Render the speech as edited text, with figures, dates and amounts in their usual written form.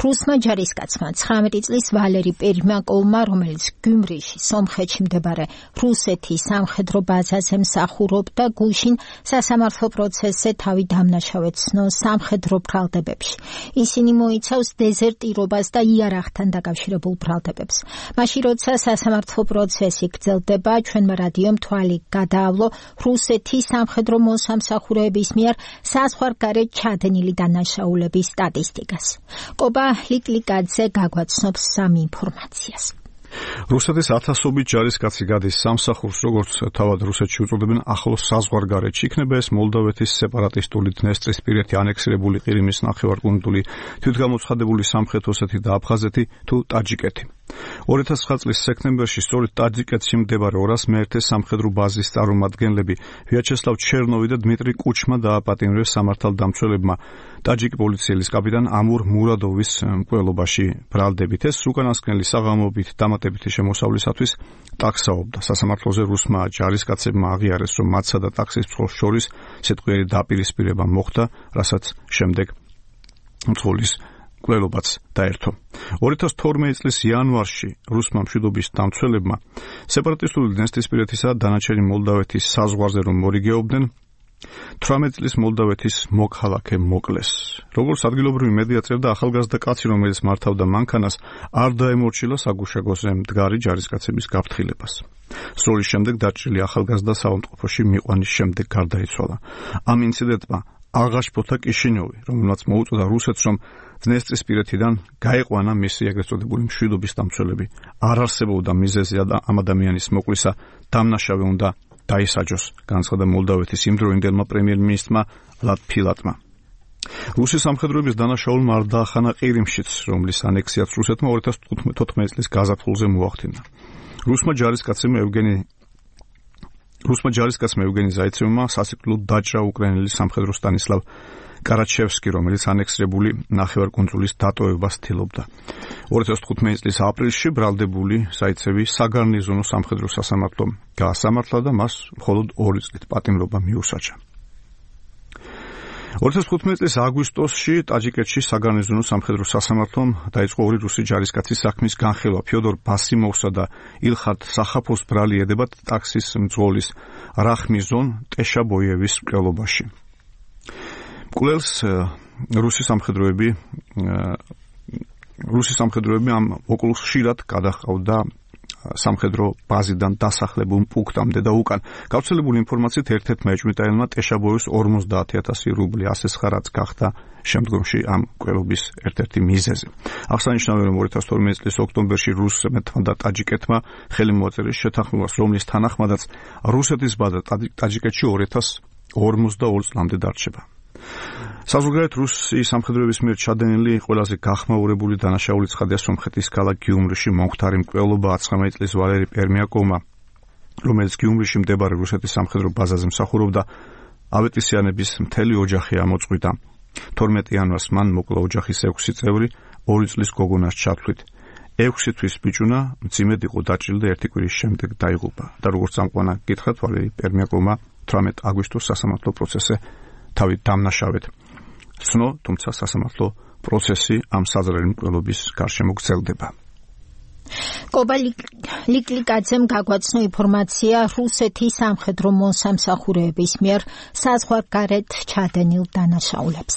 რუსმა ჯარისკაცმა 19 წლის ვალერი პერიმაკოვმა, რომელიც გიუმრიში, სომხეთში მდებარე რუსეთის სამხედრო ბაზაზე მსახურობდა, გუშინ სასამართლო პროცესზე თავი დამნაშავედ ცნო სამხედრო ბრალდებებში. ისინი მოიცავს დეზერტირობას და იარაღთან დაკავშირებულ ბრალდებებს. მაშინ, როცა სასამართლო პროცესი გრძელდება, ჩვენმა რადიომ თვალი გადაავლო რუსეთის სამხედრო მოსამსახურეების მიერ საზღვარგარეთ ჩადენილი დანაშაულების სტატისტიკას. კობა ლიკლიკაძე გაგვაცნობს სამი ინფორმაციას. რუსეთის ათასობით ჯარისკაცი გადის სამსახურს, როგორც თავად რუსეთში უწოდებენ, ახლოს საზღვარგარეთში. იქნება ეს მოლდოვეთის სეპარატისტული დნესტრისპირეთი ანექსირებული ყირიმის ნახევარკუნძული, თვითგამოცხადებული სამხრეთ ოსეთი და აფხაზეთი თუ ტაჯიკეთი. 2009 წლის სექტემბერში სწორედ ტაჯიკეთში მდებარე 201 სამხედრო ბაზის წარმომადგენლები ვიაჩესლავ ჩერნოვი და დმიტრი კუჩმა დააპატიმრეს სამართალდამცველებმა ტაჯიკი პოლიციელის კაპიტან ამურ მურადოვის მკვლელობაში ბრალდებით. ეს უკანასკნელი საღამოობით დამატებითი შემოსავლისათვის ტაქსაობდა. სასამართლოზე რუსმა ჯარისკაცებმა აღიარეს, რომ მათსა და ტაქსის მძღოლს შორის სიტყვიერი დაპირისპირება მოხდა, რასაც შემდეგ მძღოლის მკვლელობაც დაერთო. 2012 წლის იანვარში რუსმა მშვიდობის დამცველებმა სეპარატისტული დნესტრისპირეთისა და დანარჩენი მოლდავეთის საზღვარზე რომ მორიგეობდნენ, 18 წლის მოლდავეთის მოქალაქე მოკლეს. როგორც ადგილობრივი მედია წერდა, ახალგაზრდა კაცი, რომელიც მართავდა მანქანას, არ დაემორჩილა საგუშაგოზე მდგარი ჯარისკაცების გაფრთხილებას. სროლის შემდეგ დაჭრილი ახალგაზრდა საავადმყოფოში მიყვანის შემდეგ გარდაიცვალა. ამ ინციდენტმა აღაშფოთა კიშინიოვი, რომელმაც მოუწოდა რუსეთს, რომ დნესტრისპირეთიდან გაეყვანა მისი ეგრეთ წოდებული მშვიდობის დამცველები. არ არსებობდა მიზეზი ამ ადამიანის მოკლისა, დამნაშავე უნდა დაისაჯოს, განცხადა მოლდავეთის იმდროინდელმა პრემიერ-მინისტრმა ლატფილატმა. რუსის სამხედროების დანაშაულმა არ დაახანა ყირიმშიც, რომლის ანექსიაც რუსეთმა 2014 წლის გაზაფხულზე მოახდინა. რუსმა ჯარისკაცმა ევგენი ზაიცევმა სასიკვდილოდ დაჭრა უკრაინელი სამხედრო სტანისლავ კარაჩევსკი, რომელიც ანექსირებული ნახევარკუნძულის დატოვებას ცდილობდა. 2015 წლის aprilში ბრალდებული ზაიცევი საგარნიზონო სამხედრო სასამართლომ გაასამართლა და მას მხოლოდ 2 წლით პატიმრობა მიუსაჯა. 2015 წლის აგვისტოში ტაჯიკეთში საგარნიზონო სამხედრო სასამართლომ დაიწყო 2 რუსი ჯარისკაცის საქმის განხილვა. ფიოდორ ბასიმოვსა და ილხარ სახაფოს ბრალი ედებათ ტაქსის მძღოლის რახმიზონ ტეშაბოიევის მკვლელობაში. მკვლელს რუსი სამხედროები ამ მოკლულს ხშირად გადაჰყავდა სამხედრო ბაზიდან დასახლებულ პუნქტამდე და უკან. გავრცელებული ინფორმაციით ერთ-ერთმა ეჭვმიტანელმა ტეშაბოიევს 50,000 რუბლი ასესხა, რაც გახდა შემდგომში ამ მკვლელობის ერთ-ერთი მიზეზი. აღსანიშნავია, რომ 2012 წლის ოქტომბერში რუსეთმა და ტაჯიკეთმა ხელი მოაწერეს შეთანხმებას, რომლის თანახმადაც რუსეთის ბაზა ტაჯიკეთში 2052 წლამდე დარჩება. საზღვარგარეთ რუსი სამხედროების მიერ ჩადენილი ყველაზე გახმაურებული დანაშაული ცხადია სომხეთის ქალაქ გიუმრიში მომხდარი მკვლელობა 19 წლის ვალერი პერიმაკოვმა, რომელიც გიუმრიში მდებარე რუსეთის სამხედრო ბაზაზე მსახურობდა. ავეტისიანების მთელი ოჯახი ამოწყვიტა. 12 იანვარს მან მოკლა ოჯახის 6 წევრი 2 წლის გოგონას ჩათვლით. 6 თვის ბიჭუნა მძიმედ იყო დაჭრილი და 1 კვირის შემდეგ დაიღუპა. და როგორც წამყვანა გითხრათ, ვალერი პერიმაკოვმა 18 აგვისტოს სასამართლო პროცესზე თავი დამნაშავედ ცნო, თუმცა სასამართლო პროცესი ამ საზრელი მკვლელობის გარშემო გრძელდება. კობა ლიკლიკაძემ გაგვაცნო ინფორმაცია რუსეთის სამხედრო მოსამსახურეების მიერ საზღვარგარეთ ჩადენილ დანაშაულებზე.